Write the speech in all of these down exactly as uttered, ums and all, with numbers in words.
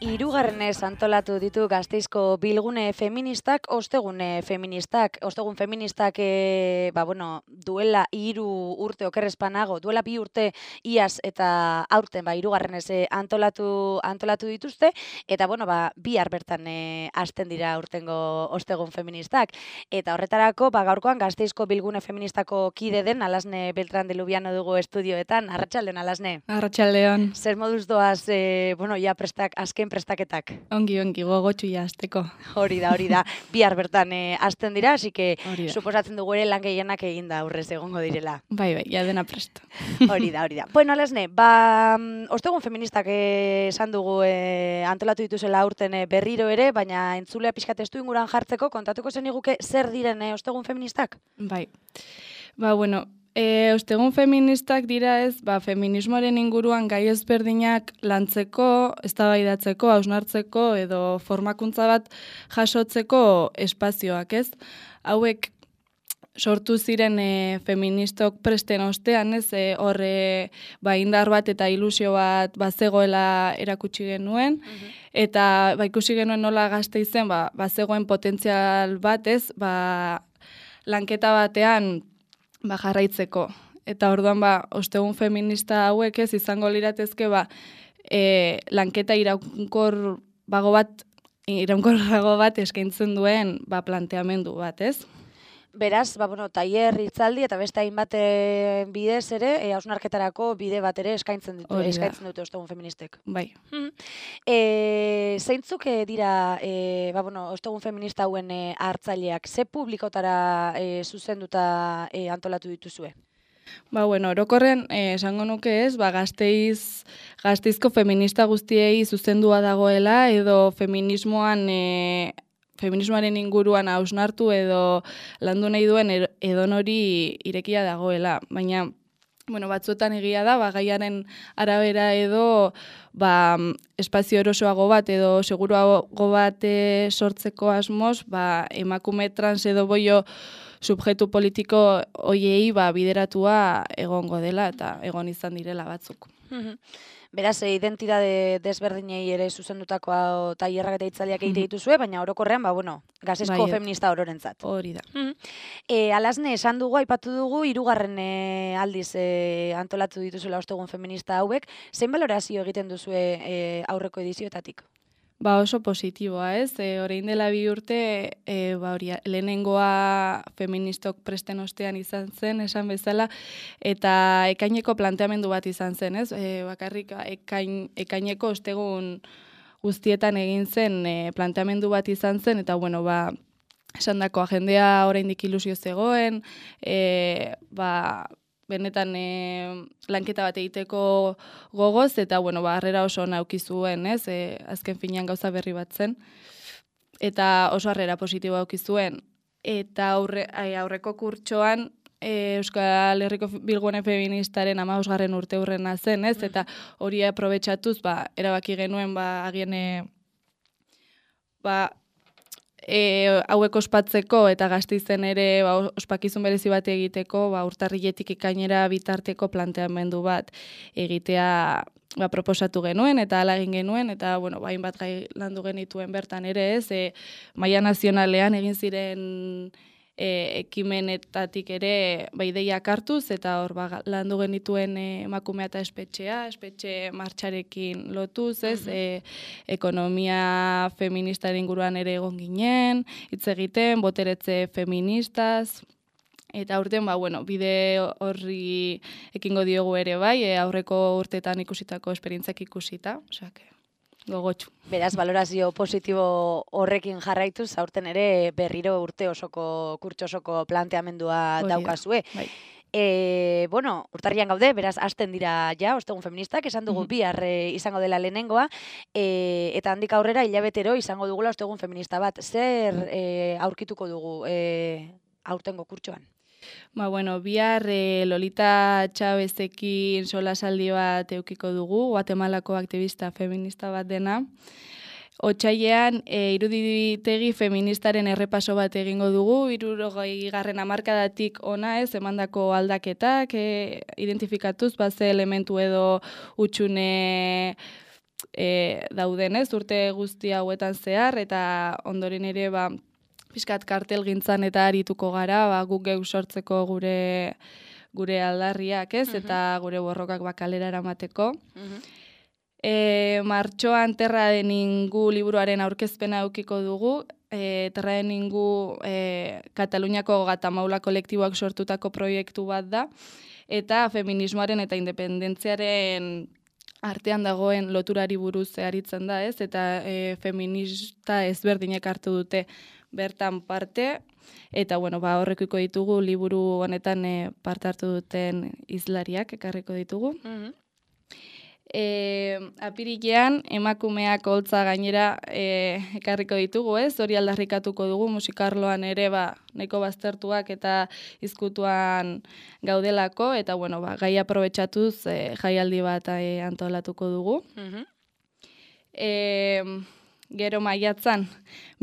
Hirugarrenez antolatu ditu Gasteizko bilgune feministak, ostegune feministak. Ostegun feministak e, ba, bueno, duela hiru urte okerrezpanago, duela bi urte iaz eta aurten ba, hirugarrenez e, antolatu, antolatu dituzte, eta bueno, ba, bihar bertan e, hasten dira urtengo ostegun feministak. Eta horretarako, ba, gaurkoan Gasteizko bilgune feministako kide den Alasne Beltran de Lubiano dugu estudioetan. Arratsaldeon, Alasne. Arratsaldeon. Zer moduz doaz, e, bueno, ja prestak, azken prestaketak. Ongi, ongi, gogotxu ja azteko. Hori da, hori da. Bihar bertan eh, hasten dira, así que suposatzen dugu ere lan gehienak eginda aurrez egongo direla. Bai, bai, ja dena presto. Hori da, hori da. Bueno, Alasne, ba, ostegun feministak eh, esan dugu eh, antolatu dituzela aurten eh, berriro ere, baina entzulea pixkat estu inguran jartzeko, kontatuko zeniguke zer diren eh, ostegun feministak? Bai. Ba, bueno, E, ostegun feministak dira ez, ba, feminismoaren inguruan gai ezberdinak lantzeko, eztabaidatzeko, hausnartzeko edo formakuntza bat jasotzeko espazioak, ez? Hauek sortu ziren e, feministok presten ostean, ez? E, hor e, ba, indar bat eta ilusio bat bazegoela erakutsi genuen, uh-huh. Eta ba, ikusi genuen nola Gasteizen ba, bazegoen potentzial bat, ez? Ba, lanketa batean ba, jarraitzeko. Eta orduan, ba, ostegun feminista hauek ez izango liratezke, ba, e, lanketa iraunkor bago bat, iraunkorrago bat eskaintzen duen, ba, planteamendu bat, ez? Beraz, ba, bueno, tailer, hitzaldi eta beste hainbat bidez ere, e, hausnarketarako bide bat ere eskaintzen ditu, eskaintzen dute ostegun feministek. Bai. Hmm. E, zeintzuk dira, e, ba, bueno, ostegun feminista hauen e, hartzaileak, ze publikotara e, zuzenduta e, antolatu dituzue? Ba, bueno, orokorren, eh, esango nuke ez, ba, Gasteiz, Gasteizko feminista guztiei zuzendua dagoela, edo feminismoan, e, feminismoaren inguruan hausnartu edo landu nahi duen edonori irekia dagoela. Baina, bueno, batzuetan egia da, ba, gaiaren arabera edo ba, espazio erosoago bat edo seguruago bat e, sortzeko asmoz, ba, emakume trans edo boio subjektu politiko hoiei ba, bideratua egongo dela eta egon izan direla batzuk. Beraz, identitate desberdinei ere zuzendutako tailerrak eta hitzaldiak egite dituzue, baina orokorrean, ba, bueno, Gasteizko bai, feminista ororentzat. Hori da. E, Alasne, esan dugu, aipatu dugu, hirugarren e, aldiz e, antolatu dituzuela ostegun feminista hauek, zein balorazio egiten duzue e, aurreko edizioetatik? Ba oso positiboa, ez? E, orain dela bi urte, e, ba hori, lehenengoa feministok presten ostean izan zen, esan bezala, eta ekaineko planteamendu bat izan zen, ez? E, bakarrik ekain, ekaineko ostegun guztietan egin zen e, planteamendu bat izan zen, eta bueno, ba, esan dako agendea oraindik ilusio zegoen, e, ba, benetan e, lanketa bat egiteko gogoz, eta, bueno, ba, harrera oso nauki zuen, ez? E, azken finean gauza berri bat zen. Eta oso harrera positiboa auki zuen. Eta aurre, aurreko kurtsoan, e, Euskal Herriko bilgune feministaren hamabosgarren urte hurrena zen, ez? Eta hori aprobetxatuz, ba, erabaki genuen, ba, agien, ba, E, hauek ospatzeko eta Gasteizen ere ba, ospakizun berezi bat egiteko, ba, urtarriletik ekainera bitarteko planteamendu bat egitea ba, proposatu genuen eta hala egin genuen, eta bueno, ba, hainbat gai landu genituen bertan ere ez, e, maila nazionalean egin ziren e, ekimenetatik ere ba, ideiak hartuz, eta hor ba, landu genituen e, emakumea eta espetxea, espetxe martxarekin lotuz, ez, uh-huh. e, ekonomia feministaren inguruan ere egon ginen, hitz egiten, boteretze feministaz, eta aurten, ba, bueno, bide horri ekingo diogu ere bai, e, aurreko urteetan ikusitako esperientziak ikusita, osea, gogotxu. Beraz, valorazio positibo horrekin jarraituz, aurten ere berriro urte osoko, kurtso osoko planteamendua daukazue. Bai. E, bueno, urtarrian gaude, beraz, hasten dira ja, ostegun feministak, esan dugu mm-hmm. bihar e, izango dela lehenengoa, e, eta handik aurrera hilabetero izango dugula ostegun feminista bat. Zer e, aurkituko dugu e, aurtengo kurtsoan? Ba, bueno, bihar e, Lolita Chavezekin solasaldi bat eukiko dugu, Guatemalako aktivista feminista bat dena. Otsailean, e, iruditegi feministaren errepaso bat egingo dugu, hirurogei garren hamarkadatik ona ez, emandako aldaketak, e, identifikatuz, baze elementu edo utxune e, dauden, ez, urte guzti hauetan zehar, eta ondoren ere, ba, pixkat kartel gintzan eta arituko gara, ba, guk geu sortzeko gure gure aldarriak, ez, eta gure borrokak bakalera eramateko. E, martxoan Terra de Ningú liburuaren aurkezpena eukiko dugu, e, Terra de Ningú e, Kataluniako Gatamaula kolektiboak sortutako proiektu bat da, eta feminismoaren eta independentziaren artean dagoen loturari buruz aritzen da, ez, eta e, feminista ezberdinek hartu dute bertan parte, eta bueno, ba, horrekiko ditugu liburu honetan e, parte hartu duten hizlariak ekarriko ditugu. Mm-hmm. E, apirilean emakumeak holtza gainera e, ekarriko ditugu, ez? Hori aldarrikatuko dugu musikarloan ere ba nahiko baztertuak eta izkutuan gaudelako, eta bueno, ba, gai aprobetxatuz e, jaialdi bat e, antolatuko dugu. Mm-hmm. E, Gero maiatzan,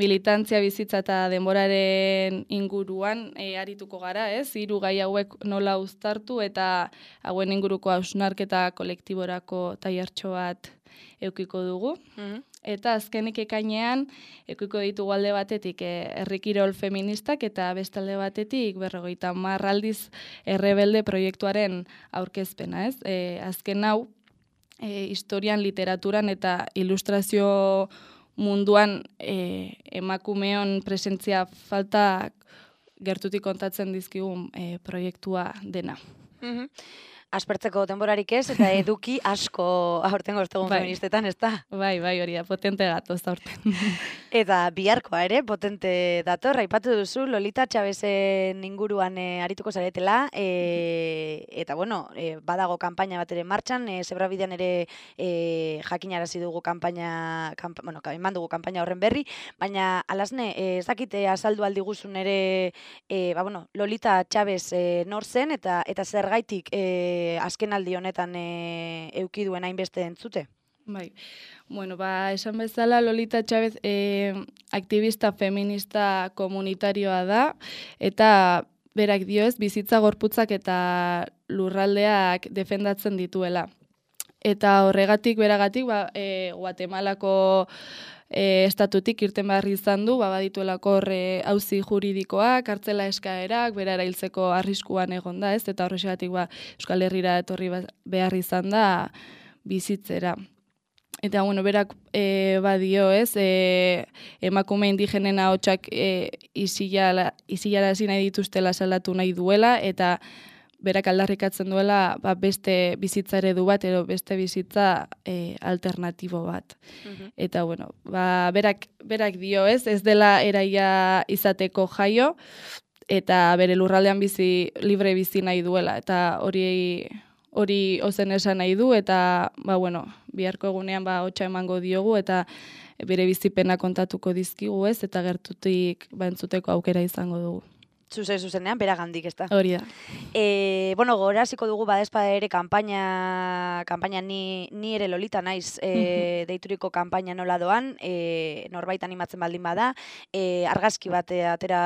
militantzia bizitza eta denboraren inguruan e, arituko gara, ez? Hiru gai hauek nola uztartu eta hauen inguruko hausnarketa kolektiborako tailertxo bat eukiko dugu. Mm-hmm. Eta azkenik ekainean, eukiko ditugu alde batetik e, herrikirol feministak eta bestalde batetik berrogeita hamar aldiz errebelde proiektuaren aurkezpena, ez? E, azken hau, e, historian, literaturan eta ilustrazio munduan e, emakumeon presentzia falta gertutik kontatzen dizkigun e, proiektua dena. Mm-hmm. Aspertzeko denborarik ez, eta eduki asko aurtengo ostegun bai. Feministetan, ez da? Bai, bai, hori da, potente datoz aurten. Eta biharkoa ere, potente dator, aipatu duzu, Lolita Txabesen inguruan e, arituko zaretela, e, eta bueno, e, badago kanpaina bat ere martxan, e, Zebrabidean ere e, jakinarazi dugu kanpaina, kanpa, bueno, eman dugu kanpaina horren berri, baina alasne, e, ez dakite azaldu aldi guzun ere, e, ba bueno, Lolita Txabez e, nor zen, eta, eta zergaitik e, azken aldi honetan e, euki duen hainbeste entzute? Bai, bueno, ba, esan bezala Lolita Txabez e, aktivista feminista komunitarioa da, eta berak dio ez, bizitza gorputzak eta lurraldeak defendatzen dituela. Eta horregatik, beragatik, ba, e, Guatemalako E, estatutik irten behar izan du, ba, badituelako horre auzi juridikoak, kartzela eskaerak, bera erailtzeko arriskuan egon da, ez? Eta horrexegatik ba, Euskal Herrira etorri behar izan da bizitzera. Eta, bueno, berak e, badio, ez? E, emakume indigenen ahotsak e, isilarazi nahi dituztela salatu nahi duela, eta berak aldarrikatzen duela ba, beste bizitza eredu bat, edo beste bizitza e, alternatibo bat. Uh-huh. Eta, bueno, ba, berak, berak dio, ez, ez dela eraia izateko jaio, eta bere lurraldean bizi, libre bizi nahi duela, eta hori hori ozen esan nahi du, eta, ba, bueno, biharko egunean ba, hotxa emango diogu, eta bere bizipena kontatuko dizkigu, ez, eta gertutik ba, entzuteko aukera izango dugu. Zuzen, zuzenean, beragandik, ez da. Hori da. E, bueno, goraziko dugu badezpa ere kanpaina, kanpaina ni, ni ere Lolita naiz e, uh-huh. deituriko kanpaina nola doan, e, norbait animatzen baldin bada, e, argazki bat atera,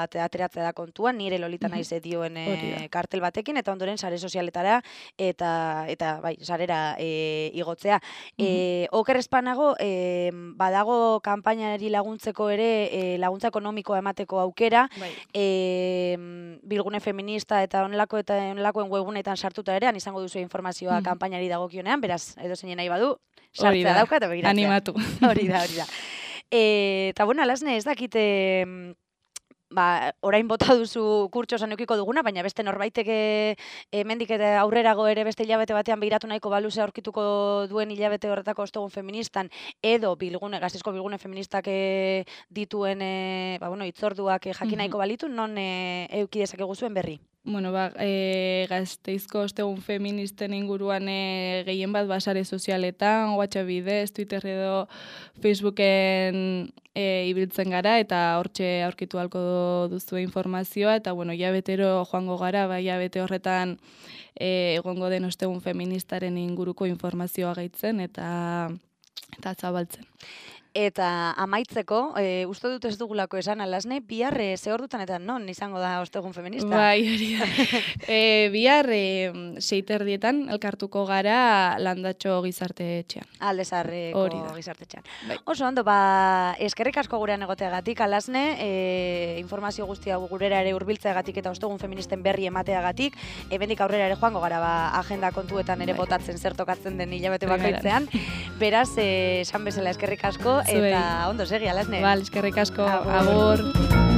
ateratzea da kontuan, ni ere Lolita naiz uh-huh. dioen e, kartel batekin, eta ondoren sare sozialetara, eta, eta bai, sarera e, igotzea. Uh-huh. E, oker espanago, e, badago kanpainari laguntzeko ere, e, laguntza ekonomikoa emateko aukera, bai. E, bilgune feminista eta onelako eta onelakoen webgunetan sartuta ere, izango duzu informazioa mm. kanpainari dagokionean, beraz, edo zein nahi badu, sartzea dauka eta begiratzea. Animatu. Hori da, hori da. E, eta bueno, alasne, ez dakite, ba, orain bota duzu kurtsosan eukiko duguna, baina beste norbaiteke hemendik eta aurrerago ere beste hilabete batean behiratu nahiko baluzea aurkituko duen hilabete horretako ostegun feministan, edo bilgune, Gasteizko bilgune feministak e, dituen e, ba, bueno, itzorduak e, jakin nahiko balitu, non e, euki dezakegu zuen berri? Bueno, ba, e, Gasteizko ostegun feministen inguruan e, gehien bat basare sozialetan, WhatsApp bidez, Twitter edo Facebooken e, ibiltzen gara, eta hortxe aurkitu halko duzu informazioa, eta bueno, jabetero joango gara, ba, jabete horretan e, egongo den ostegun feministaren inguruko informazioa gaitzen, eta, eta zabaltzen. Eta amaitzeko, e, uste dut ez dugulako esan alasne, bihar e, ze ordutan eta non izango da ostegun feminista? Bai, hori da. e, bihar e, seiterdietan elkartuko gara Landatxo gizarte etxean. Aldezarreko gizarte etxean. Bai. Oso ondo, ba, eskerrik asko gurean egoteagatik, alasne, e, informazio guztia gurera ere hurbiltzeagatik eta ostegun feministen berri emateagatik, ebendik aurrera ere joango gara ba, agenda kontuetan ere bai. Botatzen zer tokatzen den hilabete bakoitzean. Beraz, e, esan bezala eskerrik asko, eta Zuei. Ondo segi, alasne. Bal, eskerrik asko, agur. agur.